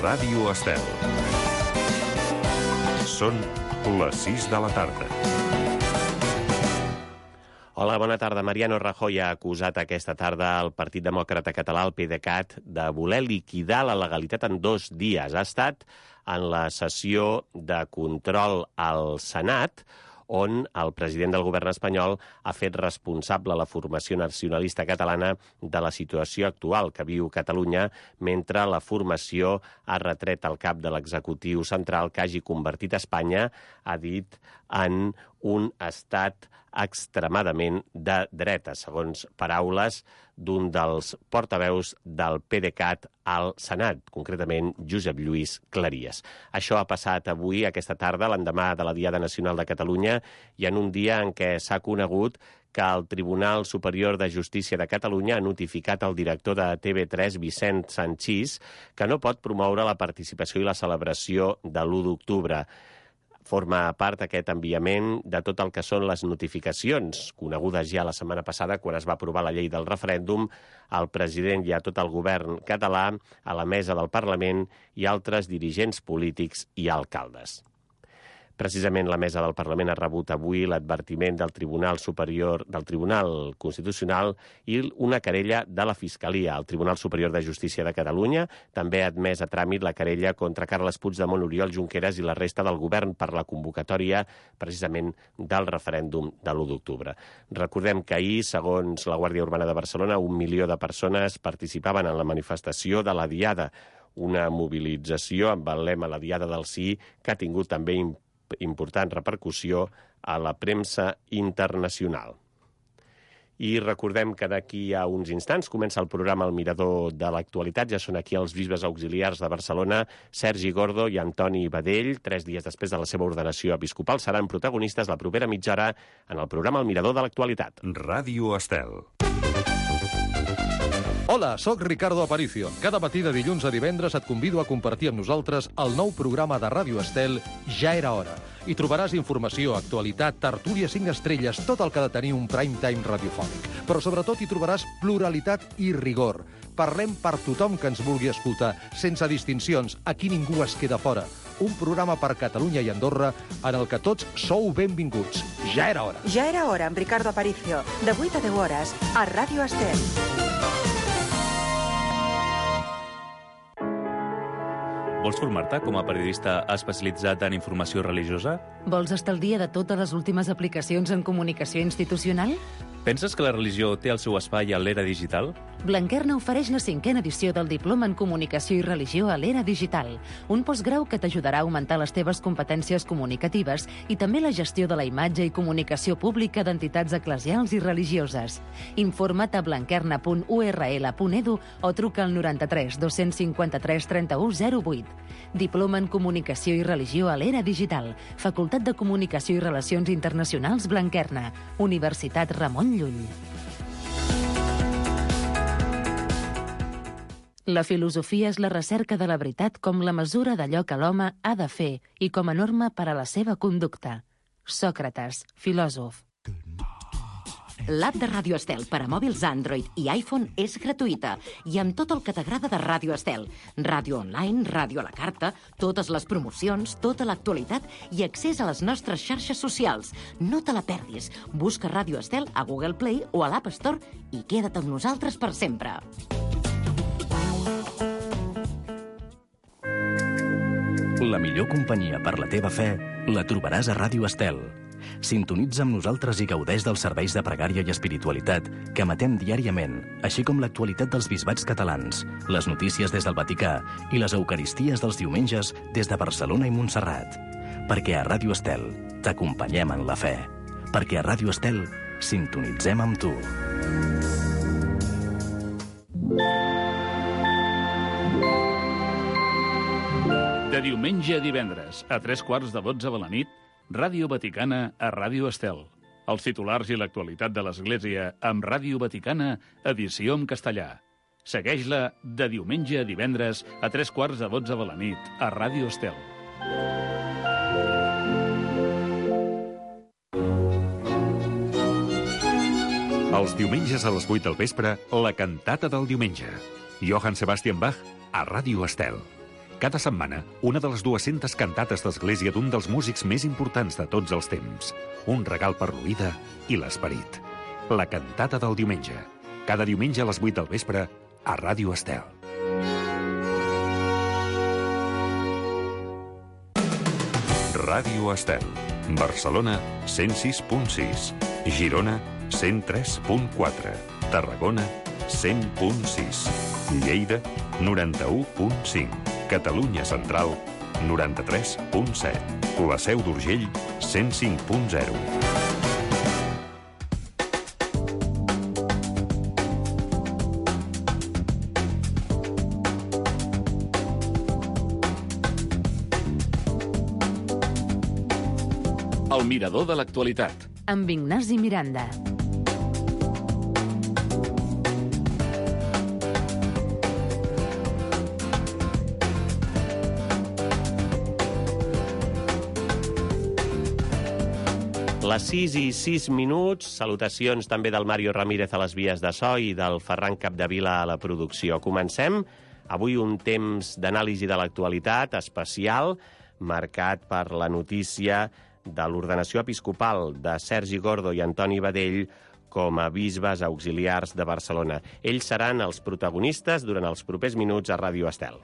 Ràdio Estel. Són les 6 de la tarda. Hola, bona tarda. Mariano Rajoy ha acusat aquesta tarda el Partit Demòcrata Català, el PDeCAT, de voler liquidar la legalitat en 2 dies. Ha estat en la sessió de control al Senat, on el president del govern espanyol ha fet responsable la formació nacionalista catalana de la situació actual que viu Catalunya, mentre la formació ha retret al cap de l'executiu central que hagi convertit Espanya, ha dit, en un estat extremadament de dreta, segons paraules d'un dels portaveus del PDeCAT al Senat, concretament Josep Lluís Claries. Això ha passat avui, aquesta tarda, l'endemà de la Diada Nacional de Catalunya, i en un dia en què s'ha conegut que el Tribunal Superior de Justícia de Catalunya ha notificat al director de TV3, Vicent Sanchís, que no pot promoure la participació i la celebració de l'1 d'octubre. Forma part aquest enviament de tot el que són les notificacions, conegudes ja la setmana passada quan es va aprovar la llei del referèndum, al president i a tot el govern català, a la mesa del Parlament i altres dirigents polítics i alcaldes. Precisament la mesa del Parlament ha rebut avui l'advertiment del Tribunal Superior, del Tribunal Constitucional i una querella de la Fiscalia. El Tribunal Superior de Justícia de Catalunya també ha admès a tràmit la querella contra Carles Puigdemont, Oriol Junqueras i la resta del govern per la convocatòria precisament del referèndum de l'1 d'octubre. Recordem que ahir, segons la Guàrdia Urbana de Barcelona, 1 milió de persones participaven en la manifestació de la Diada, una mobilització amb el lema La Diada del Sí, que ha tingut també important repercussió a la premsa internacional. I recordem que d'aquí a uns instants comença el programa El Mirador de l'Actualitat. Ja són aquí els bisbes auxiliars de Barcelona, Sergi Gordo i Antoni Badell. 3 dies després de la seva ordenació episcopal seran protagonistes la propera mitja hora en el programa El Mirador de l'Actualitat. Ràdio Estel. Hola, sóc Ricardo Aparicio. Cada matí de dilluns a divendres et convido a compartir amb nosaltres el nou programa de Ràdio Estel Ja era hora. Hi trobaràs informació, actualitat, tertúlia 5 estrelles, tot el que ha de tenir un prime time radiofònic. Però sobretot hi trobaràs pluralitat i rigor. Parlem per tothom que ens vulgui escoltar, sense distincions. Aquí ningú es queda fora. Un programa per Catalunya i Andorra en el que tots sou benvinguts. Ja era hora. Ja era hora amb Ricardo Aparicio, de 8 a 10 hores, a Ràdio Estel. Vols formar-te com a periodista especialitzat en informació religiosa? Vols estar al dia de totes les últimes aplicacions en comunicació institucional? Penses que la religió té el seu espai a l'era digital? Blanquerna ofereix la 5a edició del Diploma en Comunicació i Religió a l'era digital, un postgrau que t'ajudarà a augmentar les teves competències comunicatives i també la gestió de la imatge i comunicació pública d'entitats eclesials i religioses. Informa't a blanquerna.url.edu o truca al 93 253 31 08. Diploma en Comunicació i Religió a l'era digital, Facultat de Comunicació i Relacions Internacionals Blanquerna, Universitat Ramon Llull. La filosofia és la recerca de la veritat com la mesura d'allò que l'home ha de fer i com a norma per a la seva conducta. Sòcrates, filòsof. L'app de Ràdio Estel per a mòbils Android i iPhone és gratuïta i amb tot el que t'agrada de Ràdio Estel. Ràdio online, ràdio a la carta, totes les promocions, tota l'actualitat i accés a les nostres xarxes socials. No te la perdis. Busca Ràdio Estel a Google Play o a l'App Store i queda't amb nosaltres per sempre. La millor companyia per la teva fe la trobaràs a Ràdio Estel. Sintonitza amb nosaltres i gaudeix dels serveis de pregària i espiritualitat que emetem diàriament, així com l'actualitat dels bisbats catalans, les notícies des del Vaticà i les eucaristies dels diumenges des de Barcelona i Montserrat. Perquè a Ràdio Estel t'acompanyem en la fe. Perquè a Ràdio Estel sintonitzem amb tu. De diumenge a divendres, a 3:15 de la nit, Ràdio Vaticana a Ràdio Estel. Els titulars i l'actualitat de l'Església amb Ràdio Vaticana, edició en castellà. Segueix-la de diumenge a divendres a 3:15 de la nit a Ràdio Estel. Els diumenges a les 8 del vespre, la cantata del diumenge. Johann Sebastian Bach a Ràdio Estel. Cada setmana, una de les 200 cantates d'església d'un dels músics més importants de tots els temps. Un regal per l'oïda i l'esperit. La cantata del diumenge. Cada diumenge a les 8 del vespre a Ràdio Estel. Ràdio Estel. Barcelona, 106.6. Girona, 103.4. Tarragona, 100.6. Lleida, 91.5. Catalunya Central, 93.7. La Seu d'Urgell, 105.0. El mirador de l'actualitat. Amb Ignasi Miranda. Les 6 i 6 minuts, salutacions també del Mario Ramírez a les vies de so i del Ferran Capdevila a la producció. Comencem avui un temps d'anàlisi de l'actualitat especial, marcat per la notícia de l'ordenació episcopal de Sergi Gordo i Antoni Badell com a bisbes auxiliars de Barcelona. Ells seran els protagonistes durant els propers minuts a Ràdio Estel.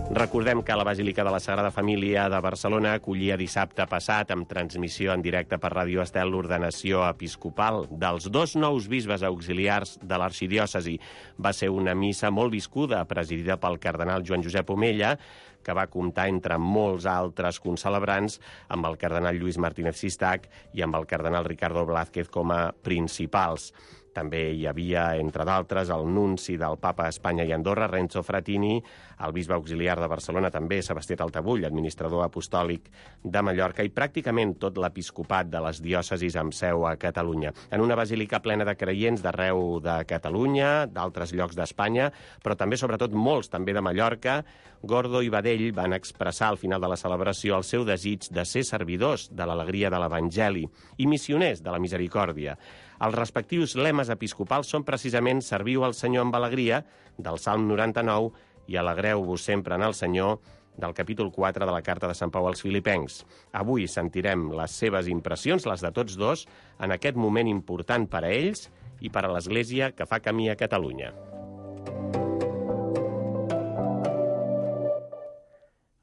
Recordem que la Basílica de la Sagrada Família de Barcelona acollia dissabte passat, amb transmissió en directe per Ràdio Estel, l'ordenació episcopal dels 2 nous bisbes auxiliars de l'arxidiòcesi. Va ser una missa molt viscuda, presidida pel cardenal Joan Josep Omella, que va comptar, entre molts altres concelebrants, amb el cardenal Lluís Martínez Sistac i amb el cardenal Ricardo Blázquez com a principals. També hi havia, entre d'altres, el nunci del Papa a Espanya i Andorra, Renzo Frattini, el bisbe auxiliar de Barcelona, també Sebastià Taltabull, administrador apostòlic de Mallorca, i pràcticament tot l'episcopat de les diòcesis amb seu a Catalunya. En una basílica plena de creients d'arreu de Catalunya, d'altres llocs d'Espanya, però també, sobretot, molts també de Mallorca, Gordo i Badell van expressar al final de la celebració el seu desig de ser servidors de l'alegria de l'Evangeli i missioners de la misericòrdia. Els respectius lemes episcopals són precisament Serviu al Senyor amb alegria, del Salm 99, i Alegreu-vos sempre en el Senyor, del capítol 4 de la Carta de Sant Pau als Filipencs. Avui sentirem les seves impressions, les de tots dos, en aquest moment important per a ells i per a l'Església que fa camí a Catalunya.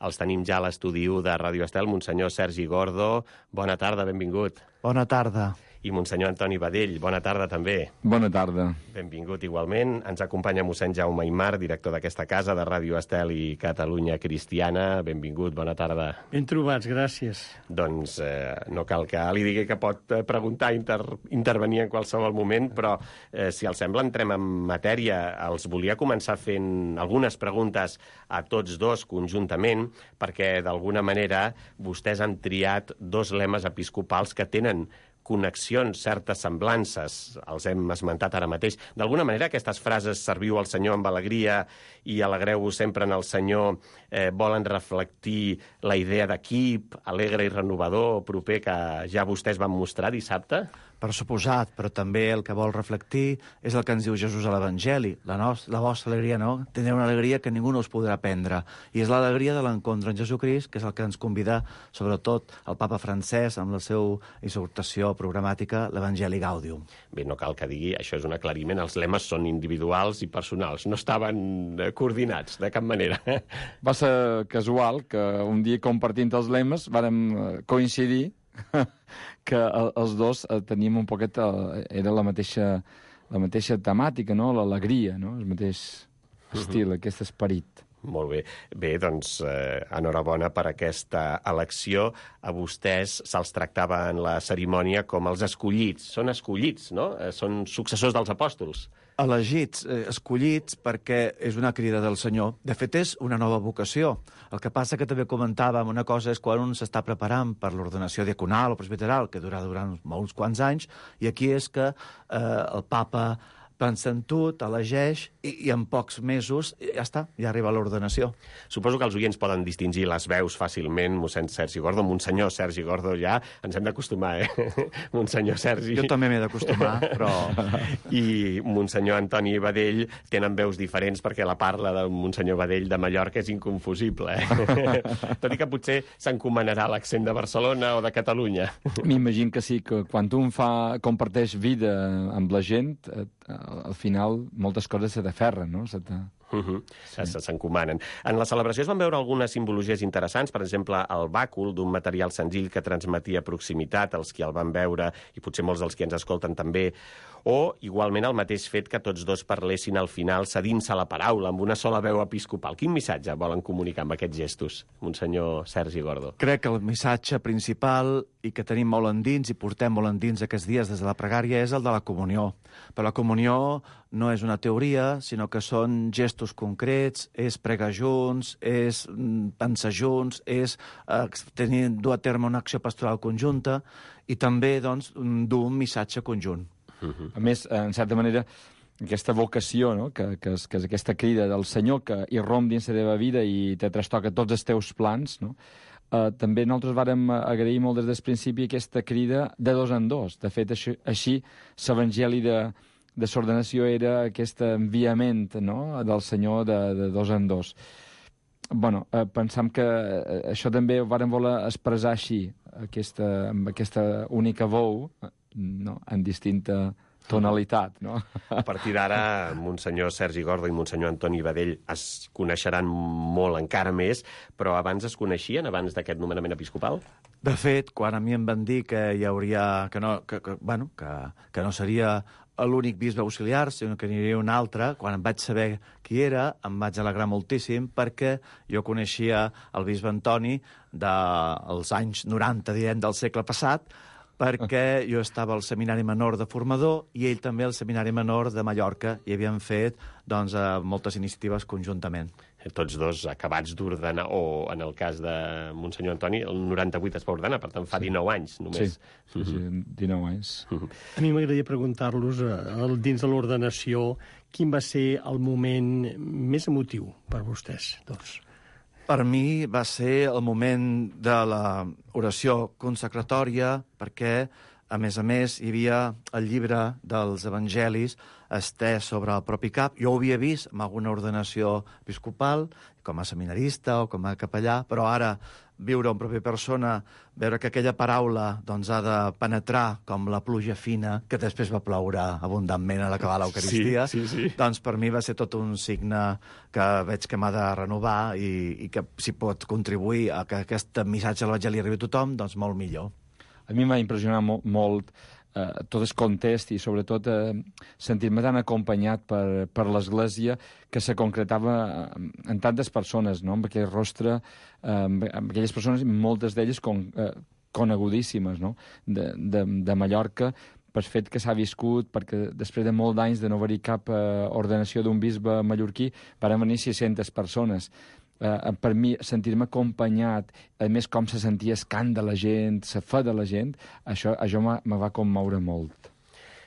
Els tenim ja a l'estudi de Ràdio Estel, Monsenyor Sergi Gordo. Bona tarda, benvingut. Bona tarda. I Monsenyor Antoni Badell, bona tarda també. Bona tarda. Benvingut igualment. Ens acompanya mossèn Jaume Aymar, director d'aquesta casa de Ràdio Estel i Catalunya Cristiana. Benvingut, bona tarda. Ben trobats, gràcies. Doncs no cal que li digui que pot preguntar, intervenir en qualsevol moment, però si els sembla entrem en matèria. Els volia començar fent algunes preguntes a tots dos conjuntament, perquè d'alguna manera vostès han triat 2 lemes episcopals que tenen connexions, certes semblances, els hem esmentat ara mateix. D'alguna manera, aquestes frases serviu al Senyor amb alegria i alegreu-vos sempre en el Senyor volen reflectir la idea d'equip, alegre i renovador, proper, que ja vostès van mostrar dissabte? Per suposat, però també el que vol reflectir és el que ens diu Jesús a l'Evangeli. La vostra alegria, no? Tindreu una alegria que ningú no us podrà prendre. I és l'alegria de l'encontre en Jesucrist, que és el que ens convida, sobretot, el papa francès, amb la seva exhortació programàtica, l'Evangeli Gaudium. Bé, no cal que digui, això és un aclariment, els lemes són individuals i personals, no estaven coordinats de cap manera. Va ser casual que un dia compartint els lemes vàrem coincidir que els dos teníem un poquet... Era la mateixa temàtica, no? L'alegria, no? El mateix estil, aquest esperit. Molt bé. Bé, doncs, enhorabona per aquesta elecció. A vostès se'ls tractava en la cerimònia com els escollits. Són escollits, no? Són successors dels apòstols. Elegits, escollits, perquè és una crida del Senyor. De fet, és una nova vocació. El que passa que també comentàvem, una cosa és quan un s'està preparant per l'ordenació diaconal o presbiteral, que durarà durant uns quants anys, i aquí és que el papa pensa en tu, t'elegeix i en pocs mesos ja està, ja arriba l'ordenació. Suposo que els oients poden distingir les veus fàcilment, mossèn Sergi Gordo, monsenyor Sergi Gordo, ja ens hem d'acostumar, monsenyor Sergi. Jo també m'he d'acostumar, però... I monsenyor Antoni Badell tenen veus diferents perquè la parla del monsenyor Badell de Mallorca és inconfusible. Tot i que potser s'encomanarà l'accent de Barcelona o de Catalunya. M'imagino que sí, que quan un comparteix vida amb la gent, al final moltes coses se t'aferren, no? S'encomanen. En la celebració es van veure algunes simbologies interessants, per exemple, el bàcul d'un material senzill que transmetia proximitat als qui el van veure, i potser molts dels qui ens escolten també, o, igualment, el mateix fet que tots dos parlessin al final cedint-se la paraula amb una sola veu episcopal. Quin missatge volen comunicar amb aquests gestos, monsenyor Sergi Gordo? Crec que el missatge principal i que tenim molt endins i portem molt endins aquests dies des de la pregària és el de la comunió. Però la comunió no és una teoria, sinó que són gestos concrets, és pregar junts, és pensar junts, és dur a terme una acció pastoral conjunta i també, doncs, dur un missatge conjunt. A més, en certa manera, aquesta vocació, no? que és aquesta crida del Senyor que irromp dins la teva vida i te trastoca tots els teus plans, no? També nosaltres vàrem agrair molt des del principi aquesta crida de dos en dos. De fet, així l'evangeli de l'ordenació era aquest enviament, no? Del Senyor de dos en dos. Bueno, pensam que això també ho vàrem voler expressar així, amb aquesta única veu, no? En distinta tonalitat, no? A partir d'ara, monsenyor Sergi Gordo i monsenyor Antoni Badell es coneixeran molt encara més, però abans es coneixien, abans d'aquest nomenament episcopal? De fet, quan a mi em van dir que hi hauria... que no seria l'únic bisbe auxiliar, sinó que n'hi hauria un altre, quan em vaig saber qui era, em vaig alegrar moltíssim perquè jo coneixia el bisbe Antoni dels anys 90, diem, del segle passat, perquè jo estava al Seminari Menor de Formador i ell també al Seminari Menor de Mallorca i havien fet moltes iniciatives conjuntament. Tots dos acabats d'ordenar, o en el cas de monsenyor Antoni, el 98 es va ordenar, per tant fa 19 anys només. Sí, 19 anys. A mi m'agradaria preguntar-los, dins de l'ordenació, quin va ser el moment més emotiu per vostès dos? Per mi va ser el moment de l'oració consecratòria, perquè, a més, hi havia el llibre dels evangelis estès sobre el propi cap. Jo ho havia vist en alguna ordenació episcopal, com a seminarista o com a capellà, però ara viure en pròpia persona, veure que aquella paraula doncs, ha de penetrar com la pluja fina, que després va ploure abundantment a l'acabar l'Eucaristia, sí. Doncs per mi va ser tot un signe que veig que m'ha de renovar i que si pot contribuir a que aquest missatge de l'Evangeli arribi a tothom, doncs molt millor. A mi m'ha impressionat molt tot el context i sobretot sentir-me tan acompanyat per l'Església que se concretava en tantes persones, no? Amb aquell rostre, amb aquelles persones, moltes d'elles conegudíssimes, no? De Mallorca, per fet que s'ha viscut, perquè després de molts anys de no haver-hi cap ordenació d'un bisbe mallorquí, van venir 600 persones. Per mi, sentir-me acompanyat, a més com se sentia el cant de la gent, la fe de la gent, això me va commoure molt.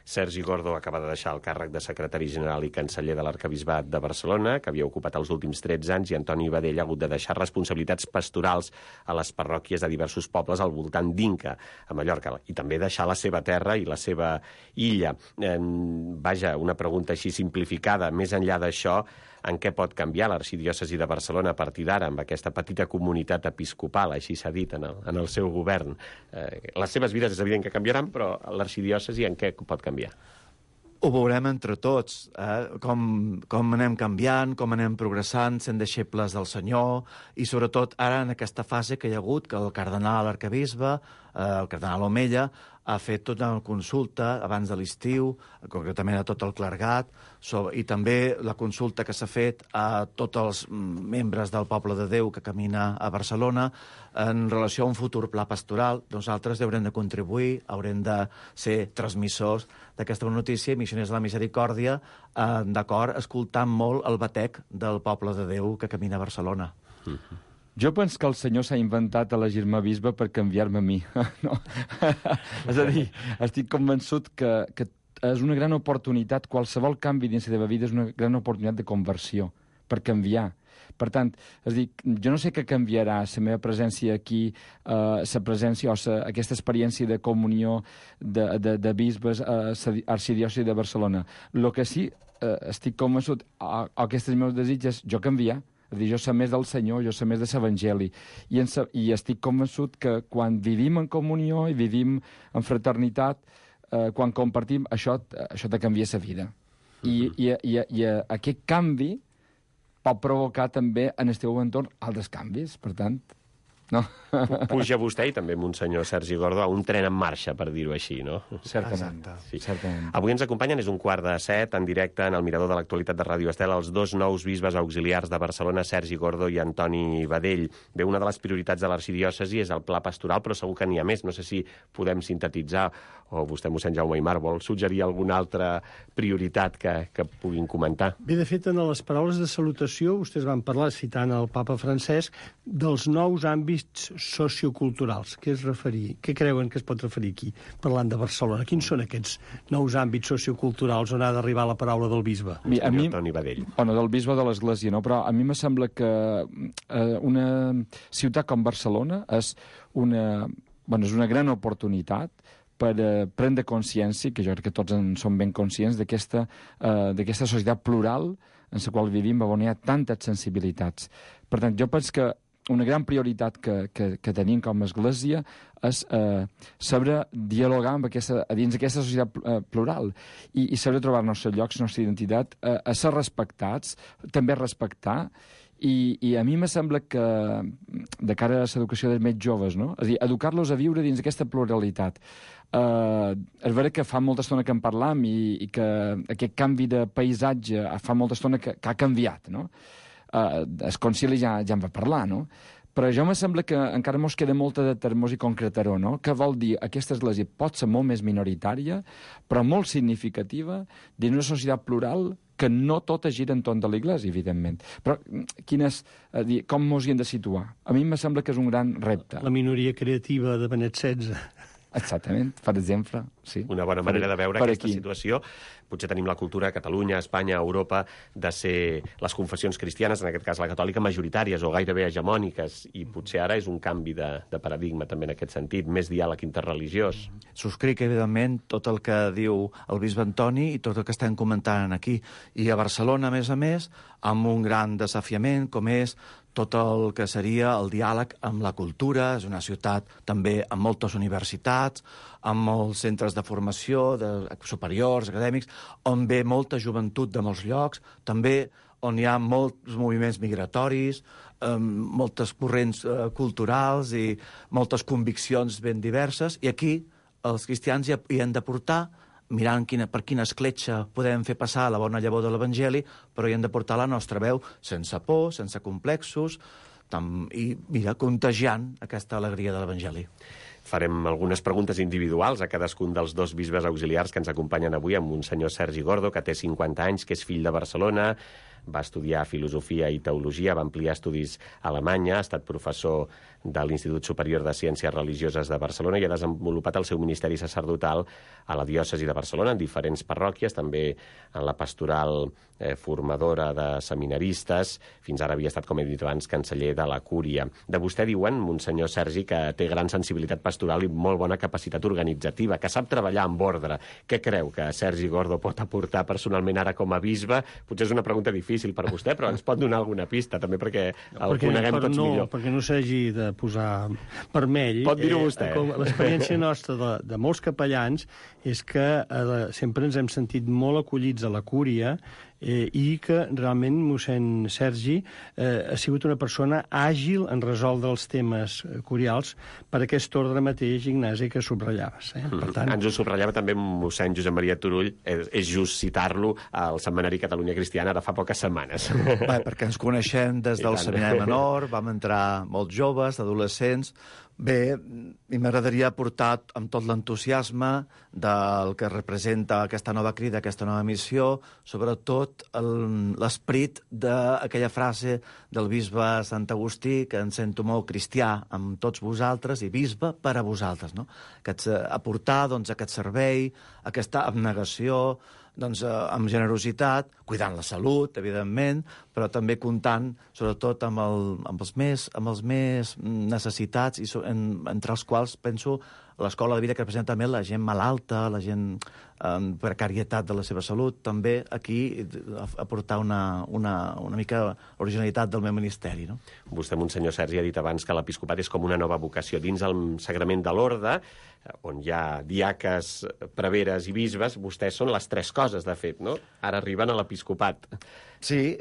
Sergi Gordo acaba de deixar el càrrec de secretari general i canceller de l'Arquebisbat de Barcelona, que havia ocupat els últims 13 anys, i Antoni Badell ha hagut de deixar responsabilitats pastorals a les parròquies de diversos pobles al voltant d'Inca, a Mallorca, i també deixar la seva terra i la seva illa. Vaja, una pregunta així simplificada. Més enllà d'això, en què pot canviar l'arxidiòcesi de Barcelona a partir d'ara amb aquesta petita comunitat episcopal, així s'ha dit, en el seu govern? Les seves vides és evident que canviaran, però l'arxidiòcesi en què pot canviar? Ho veurem entre tots, com anem canviant, com anem progressant, sent deixebles del Senyor, i sobretot ara en aquesta fase que hi ha hagut, que el cardenal arquebisbe, el cardenal Omella, ha fet tota una consulta abans de l'estiu, concretament a tot el clergat, i també la consulta que s'ha fet a tots els membres del poble de Déu que camina a Barcelona en relació a un futur pla pastoral. Nosaltres haurem de contribuir, haurem de ser transmissors d'aquesta notícia, missioners de la misericòrdia, d'acord, escoltant molt el batec del poble de Déu que camina a Barcelona. Jo penso que el Senyor s'ha inventat elegir-me bisbe per canviar-me a mi. No? És a dir, estic convençut que és una gran oportunitat, qualsevol canvi dins la teva vida és una gran oportunitat de conversió, per canviar. Per tant, és dir, jo no sé què canviarà la meva presència aquí, la presència o aquesta experiència de comunió de bisbes a l'arxidiòcesi de Barcelona. El que sí estic convençut, aquests meus desitjos, jo canviar. És a dir, jo sé més del Senyor, jo sé més de l'Evangeli. I estic convençut que quan vivim en comunió i vivim en fraternitat, quan compartim, això te canvia la vida. I aquest canvi pot provocar també en el teu entorn altres canvis, per tant... No. Puja vostè i també Monsenyor Sergi Gordó a un tren en marxa, per dir-ho així, no? Certament. Sí. Certament. Avui ens acompanyen, és 6:15, en directe, en el Mirador de l'Actualitat de Ràdio Estel, els dos nous bisbes auxiliars de Barcelona, Sergi Gordó i Antoni Badell. Bé, una de les prioritats de l'arxidiòcesi és el pla pastoral, però segur que n'hi ha més. No sé si podem sintetitzar, o vostè, mossèn Jaume Aymar, vol suggerir alguna altra prioritat que puguin comentar. Bé, de fet, en les paraules de salutació, vostès van parlar, citant el papa Francesc, dels nous àmbits socioculturals. Què creuen que es pot referir aquí, parlant de Barcelona? Quins són aquests nous àmbits socioculturals on ha d'arribar la paraula del bisbe? A mi, del bisbe de l'Església, no? Però a mi me sembla que una ciutat com Barcelona és una gran oportunitat per prendre consciència, que jo crec que tots en som ben conscients, d'aquesta societat plural en la qual vivim, on hi ha tantes sensibilitats. Per tant, jo penso que una gran prioritat que tenim com a Església és saber dialogar dins d'aquesta societat plural i saber trobar-nos els llocs, la nostra identitat, a ser respectats, també respectar. I a mi me sembla que, de cara a l'educació dels més joves, no? És a dir, educar-los a viure dins aquesta pluralitat. És vera que fa molta estona que en parlam i que aquest canvi de paisatge fa molta estona que ha canviat, no? El concili ja en va parlar, no? Però jo me sembla que encara mos queda molta de termos i concretaró, no? Què vol dir? Aquesta església pot ser molt més minoritària, però molt significativa, dins una societat plural que no tota gira entorn de l'església, evidentment. Però com mos hi hem de situar? A mi me sembla que és un gran repte. La minoria creativa de Benet XVI. Exactament, per exemple, sí. Una bona manera de veure aquesta situació. Potser tenim la cultura a Catalunya, a Espanya, a Europa, de ser les confessions cristianes, en aquest cas la catòlica, majoritàries o gairebé hegemòniques, i potser ara és un canvi de paradigma també en aquest sentit, més diàleg interreligiós. Subscric, evidentment, tot el que diu el bisbe Antoni i tot el que estem comentant aquí. I a Barcelona, a més, amb un gran desafiament, com és tot el que seria el diàleg amb la cultura. És una ciutat també amb moltes universitats, amb molts centres de formació superiors, acadèmics, on ve molta joventut de molts llocs, també on hi ha molts moviments migratoris, moltes corrents culturals i moltes conviccions ben diverses, i aquí els cristians hi han de portar, mirant per quina escletxa podem fer passar la bona llavor de l'Evangeli, però hi hem de portar la nostra veu sense por, sense complexos, i contagiant aquesta alegria de l'Evangeli. Farem algunes preguntes individuals a cadascun dels dos bisbes auxiliars que ens acompanyen avui, amb Monsenyor Sergi Gordó, que té 50 anys, que és fill de Barcelona, va estudiar filosofia i teologia, va ampliar estudis a Alemanya, ha estat professor de l'Institut Superior de Ciències Religioses de Barcelona i ha desenvolupat el seu ministeri sacerdotal a la diòcesi de Barcelona, en diferents parròquies, també en la pastoral formadora de seminaristes. Fins ara havia estat, com he dit abans, canceller de la Cúria. De vostè diuen, Monsenyor Sergi, que té gran sensibilitat pastoral i molt bona capacitat organitzativa, que sap treballar amb ordre. Què creu que Sergi Gordó pot aportar personalment ara com a bisbe? Potser és una pregunta difícil per vostè, però ens pot donar alguna pista, també perquè el coneguem tots millor. Perquè no s'hagi de posar vermell. Pot dir-ho vostè. L'experiència nostra de molts capellans és que sempre ens hem sentit molt acollits a la Cúria i que realment mossèn Sergi ha sigut una persona àgil en resoldre els temes curials per aquest ordre mateix, Ignasi, que subratllaves. Per tant... Ens ho subratllava també mossèn Josep Maria Turull, és just citar-lo al Setmanari Catalunya Cristiana de fa poques setmanes. Perquè ens coneixem des del Seminari Menor, vam entrar molt joves, adolescents, Bé, m'agradaria aportar amb tot l'entusiasme del que representa aquesta nova crida, aquesta nova missió, sobretot l'esperit d'aquella frase del bisbe Sant Agustí, que em sento molt cristià amb tots vosaltres i bisbe per a vosaltres, no? Aportar aquest servei, aquesta abnegació, amb generositat, cuidant la salut, evidentment, però també comptant, sobretot, amb els més necessitats, i entre els quals penso l'escola de vida, que representa també la gent malalta, la gent en precarietat de la seva salut. També aquí aportar una mica originalitat del meu ministeri, no? Vostè, Monsenyor Sergi, ha dit abans que l'episcopat és com una nova vocació. Dins el sagrament de l'orde, on hi ha diaques, preveres i bisbes, vostès són les tres coses, de fet, no? Ara arriben a l'episcopat. Sí,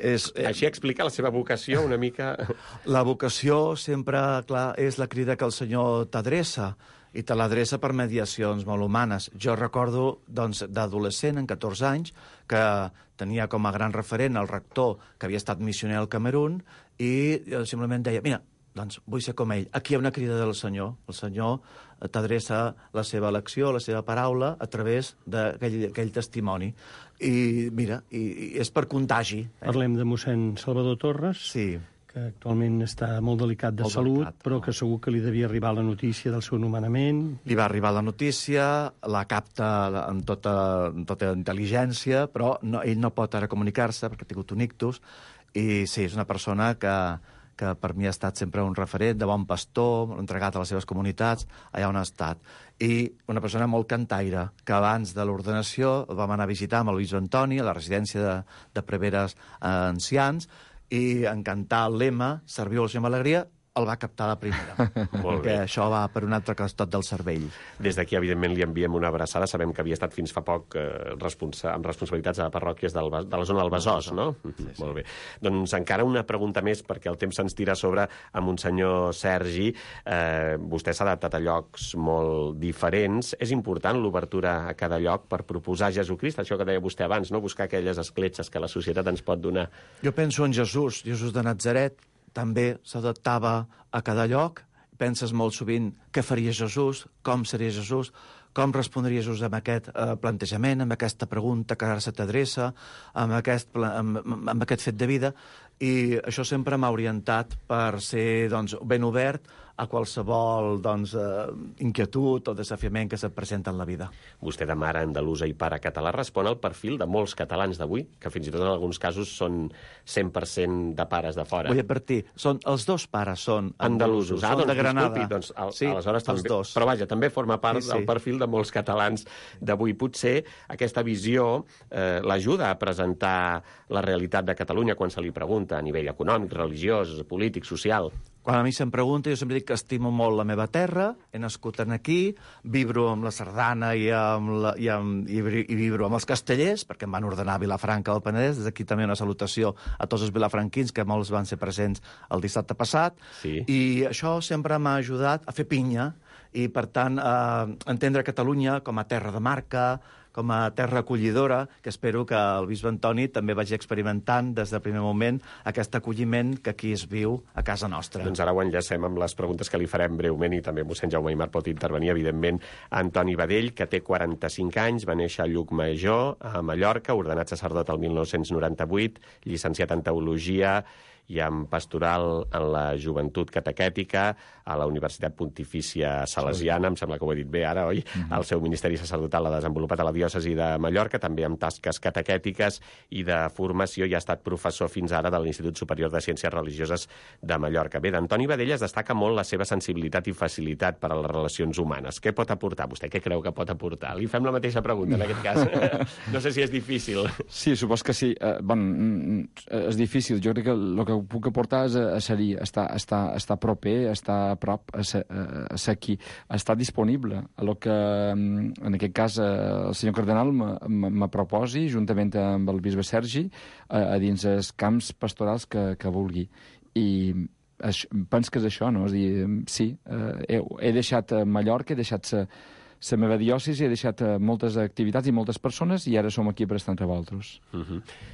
Així explica la seva vocació una mica... La vocació sempre, clar, és la crida que el Senyor t'adreça, i te l'adreça per mediacions molt humanes. Jo recordo, d'adolescent, en 14 anys, que tenia com a gran referent el rector que havia estat missioner al Camerún, i simplement deia, mira, vull ser com ell. Aquí hi ha una crida del Senyor. El Senyor t'adreça la seva elecció, la seva paraula, a través d'aquell testimoni. I mira, i és per contagi. Parlem de mossèn Salvador Torres. Sí. Que actualment està molt delicat de salut, però que segur que li devia arribar la notícia del seu nomenament. Li va arribar la notícia, la capta amb tota intel·ligència, però ell no pot ara comunicar-se perquè ha tingut un ictus, i sí, és una persona que per mi ha estat sempre un referent de bon pastor, entregat a les seves comunitats, allà on ha estat. I una persona molt cantaire, que abans de l'ordenació el vam anar a visitar amb el bisbe Antoni, a la residència de preveres ancians, i en cantar el lema «Serviu al Senyor amb alegria», el va captar la primera. Perquè això va per un altre costat del cervell. Des d'aquí, evidentment, li enviem una abraçada. Sabem que havia estat fins fa poc amb responsabilitats a parròquies de la zona del Besòs, no? Sí. Molt bé. Doncs encara una pregunta més, perquè el temps se'ns tira a sobre a Monsenyor Sergi. Vostè s'ha adaptat a llocs molt diferents. És important l'obertura a cada lloc per proposar Jesucrist, això que deia vostè abans, no? Buscar aquelles escletxes que la societat ens pot donar. Jo penso en Jesús de Natzaret, també s'adaptava a cada lloc. Penses molt sovint què faria Jesús, com seria Jesús, com respondria Jesús amb aquest plantejament, amb aquesta pregunta que ara se t'adreça, amb aquest fet de vida, i això sempre m'ha orientat per ser ben obert a qualsevol inquietud o desafiament que se't presenta en la vida. Vostè, de mare andalusa i pare català, respon al perfil de molts catalans d'avui, que fins i tot en alguns casos són 100% de pares de fora. Vull advertir, els dos pares són andalusos, són de Granada. Disculpi, sí, aleshores també. Els dos. Però vaja, també forma part del perfil de molts catalans d'avui. Potser aquesta visió l'ajuda a presentar la realitat de Catalunya quan se li pregunta a nivell econòmic, religiós, polític, social. Quan a mi se'm pregunta, jo sempre dic que estimo molt la meva terra, he nascut aquí, vibro amb la sardana i vibro amb els castellers, perquè em van ordenar a Vilafranca del Penedès. Des d'aquí també una salutació a tots els vilafranquins, que molts van ser presents el dissabte passat. Sí. I això sempre m'ha ajudat a fer pinya i, per tant, a entendre Catalunya com a terra de marca, com a terra acollidora, que espero que el bisbe Antoni també vagi experimentant des del primer moment aquest acolliment que aquí es viu a casa nostra. Doncs ara ho enllacem amb les preguntes que li farem breument, i també mossèn Jaume Aimar pot intervenir, evidentment. Antoni Badell, que té 45 anys, va néixer a Llucmajor, a Mallorca, ordenat sacerdot el 1998, llicenciat en Teologia i en Pastoral en la Joventut Catequètica a la Universitat Pontifícia Salesiana, em sembla que ho he dit bé ara, oi? El seu ministeri sacerdotal l'ha desenvolupat a la diòcesi de Mallorca, també amb tasques catequètiques i de formació, i ha estat professor fins ara de l'Institut Superior de Ciències Religioses de Mallorca. Bé, d'Antoni Badell es destaca molt la seva sensibilitat i facilitat per a les relacions humanes. Què pot aportar vostè? Què creu que pot aportar? Li fem la mateixa pregunta, en aquest cas. No sé si és difícil. Sí, supos que sí. És difícil. Jo crec que el que puc aportar seria estar proper, estar a prop, ser aquí, estar disponible a lo que, en aquest cas, el senyor cardenal me proposi, juntament amb el bisbe Sergi, a dins els camps pastorals que vulgui. I penso que és això, no? És dir, sí, he deixat Mallorca, he deixat la meva diòcesi, he deixat moltes activitats i moltes persones i ara som aquí per estar entre vosaltres.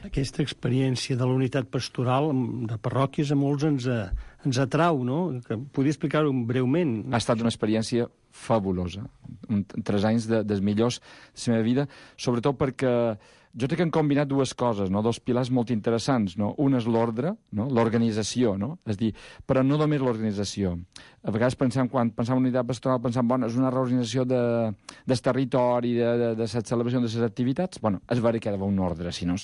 Aquesta experiència de la unitat pastoral de parròquies a molts ens atrau, no? Podria explicar-ho breument? Ha estat una experiència fabulosa. 3 anys dels millors de la meva vida, sobretot perquè jo crec que han combinat dues coses, no? 2 pilars molt interessants, no? Un és l'ordre, no? L'organització, no? És dir, però no només l'organització. A vegades quan pensem en unitat pastoral, pensem, bueno, és una reorganització del territori, de la celebració de les activitats. Bueno, és vera que hi ha d'haver un ordre, si no,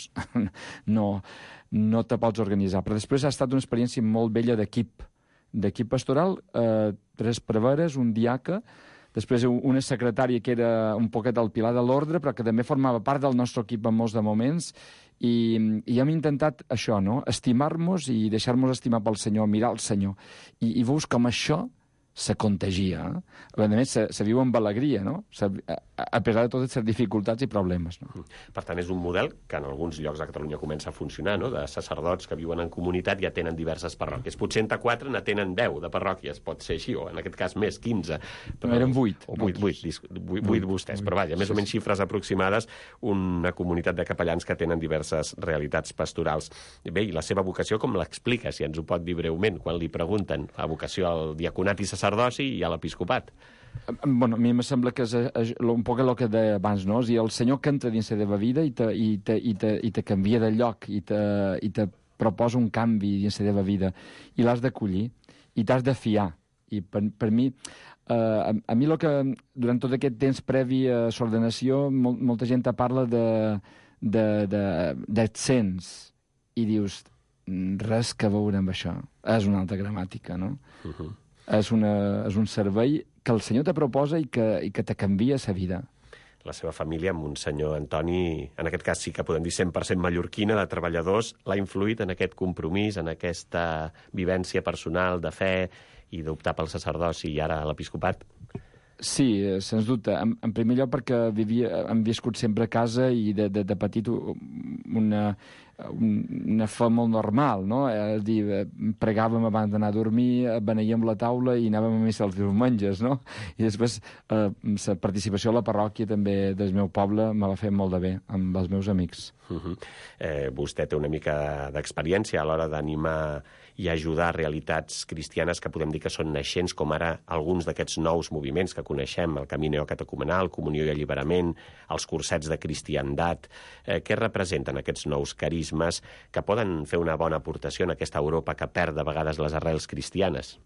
no te pots organitzar. Però després ha estat una experiència molt bella d'equip pastoral, 3 preveres, un diaca, després una secretària que era un poquet el pilar de l'ordre, però que també formava part del nostre equip en molts de moments, i hem intentat això, no? Estimar-nos i deixar-nos estimar pel Senyor, mirar el Senyor. I veus com això se contagia. A més, se viu amb alegria, no? A pesar de totes les dificultats i problemes. No? Per tant, és un model que en alguns llocs de Catalunya comença a funcionar, no? De sacerdots que viuen en comunitat i atenen diverses parròquies. Potser entre 4 n'atenen 10 de parròquies, pot ser així, o en aquest cas més, 15. Però eren 8. 8 vostès, però vaja, més o menys xifres aproximades, una comunitat de capellans que tenen diverses realitats pastorals. Bé, i la seva vocació com l'explica, si ens ho pot dir breument, quan li pregunten la vocació al diaconat i sacerdoci i a l'episcopat? Bueno, a mi em sembla que és un poc el que deia abans, no? És dir, el Senyor que entra dins la teva vida i te canvia de lloc i te proposa un canvi dins la teva vida i l'has d'acollir i t'has de fiar. I per mi, a mi el que durant tot aquest temps previ a l'ordenació molta gent te parla d'accents i dius, res que veure amb això. És una altra gramàtica, no? És un servei que el Senyor te proposa i que te canvia la vida. La seva família, amb un senyor Antoni, en aquest cas sí que podem dir 100% mallorquina, de treballadors, l'ha influït en aquest compromís, en aquesta vivència personal de fe i d'optar pel sacerdoci i ara a l'episcopat? Sí, sens dubte. En primer lloc perquè hem viscut sempre a casa i de petit una fe molt normal, no? És dir, pregàvem abans d'anar a dormir, beneíem la taula i anàvem a missa els diumenges, no? I després la participació a la parròquia també del meu poble me va fer molt de bé amb els meus amics. Vostè té una mica d'experiència a l'hora d'animar i ajudar realitats cristianes que podem dir que són naixents, com ara alguns d'aquests nous moviments que coneixem, el Camí Neocatecumenal, Comunió i Alliberament, els cursets de cristiandat. Què representen aquests nous carismes que poden fer una bona aportació en aquesta Europa que perd de vegades les arrels cristianes?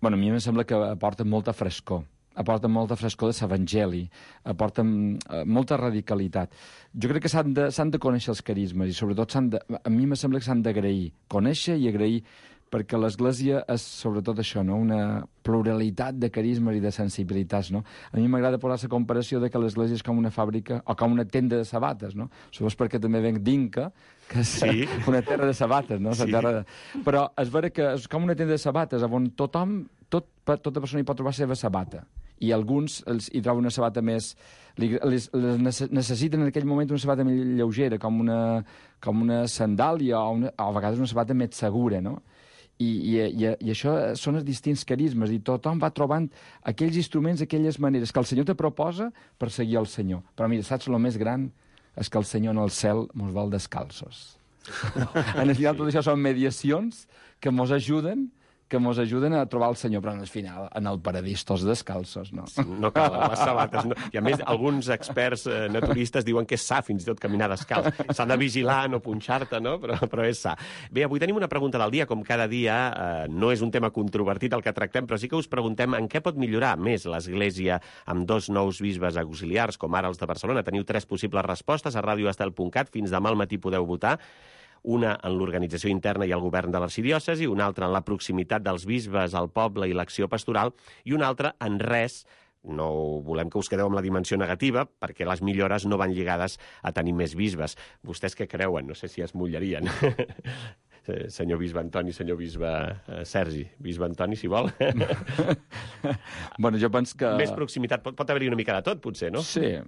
Bueno, a mi em sembla que aporten molta frescor de l'Evangeli, aporten molta radicalitat. Jo crec que s'han de conèixer els carismes i sobretot a mi em sembla que s'han d'agrair, conèixer i agrair, perquè l'Església és sobretot això, no? Una pluralitat de carismes i de sensibilitats. No? A mi m'agrada posar la comparació de que l'Església és com una fàbrica o com una tenda de sabates. No? Això és perquè també venc d'Inca, que és una terra de sabates. No? Sí. Però és vera que és com una tenda de sabates on tota persona hi pot trobar la seva sabata. I alguns hi troben una sabata més... necessiten en aquell moment una sabata més lleugera, com una sandàlia o a vegades una sabata més segura, no? I això són els distints carismes i tothom va trobant aquells instruments, aquelles maneres que el Senyor te proposa per seguir el Senyor. Però mira, saps el més gran? És que el Senyor en el cel mos vol descalços. En el final tot això són mediacions que mos ajuden a trobar el Senyor, però al final, en el paradís, tots descalços, no? No calen les sabates. No. I a més, alguns experts naturistes diuen que és sa, fins i tot, caminar descalç. S'ha de vigilar, no punxar-te, no? Però és sa. Bé, avui tenim una pregunta del dia. Com cada dia, no és un tema controvertit el que tractem, però sí que us preguntem en què pot millorar més l'Església amb 2 nous bisbes auxiliars, com ara els de Barcelona. Teniu 3 possibles respostes a radioestel.cat. Fins demà al matí podeu votar. Una en l'organització interna i el govern de l'arxidiòcesi, una altra en la proximitat dels bisbes al poble i l'acció pastoral, i una altra en res. No volem que us quedeu amb la dimensió negativa, perquè les millores no van lligades a tenir més bisbes. Vostès què creuen? No sé si es mullarien. senyor bisbe Antoni, senyor bisbe Sergi. Bisbe Antoni, si vol. Bueno, jo penso que... Més proximitat. Pot haver-hi una mica de tot, potser, no? Sí.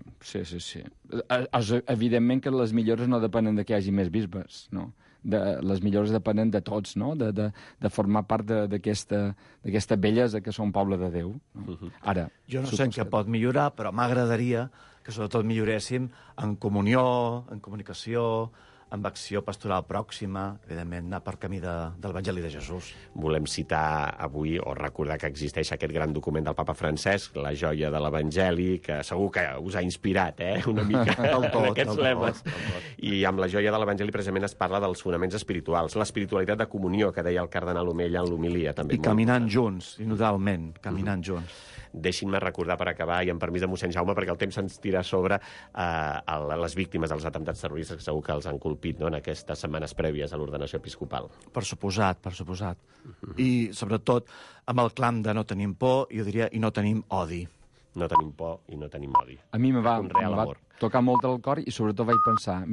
Evidentment que les millores no depenen de que hi hagi més bisbes, no? Les millores depenen de tots, no? De formar part d'aquesta bellesa que som poble de Déu. No? Ara, jo no sé en què pot millorar, però m'agradaria que sobretot milloréssim en comunió, en comunicació, amb acció pastoral pròxima, evidentment, anar per camí de l'Evangeli de Jesús. Volem citar avui, o recordar que existeix aquest gran document del papa Francesc, la joia de l'Evangeli, que segur que us ha inspirat, una mica, en aquests lemes. I amb la joia de l'Evangeli precisament es parla dels fonaments espirituals, l'espiritualitat de comunió, que deia el cardenal Omella en l'homilia, també. I caminant junts, indudablement, caminant junts. Deixin-me recordar per acabar, i amb permís de mossèn Jaume, perquè el temps ens tira sobre les víctimes dels atemptats terroristes, que segur que els han colpit, no?, en aquestes setmanes prèvies a l'ordenació episcopal. Per suposat. I, sobretot, amb el clam de no tenim por, jo diria, i no tenim odi. No tenim por i no tenim odi. A mi me va tocar molt el cor i, sobretot, vaig pensar...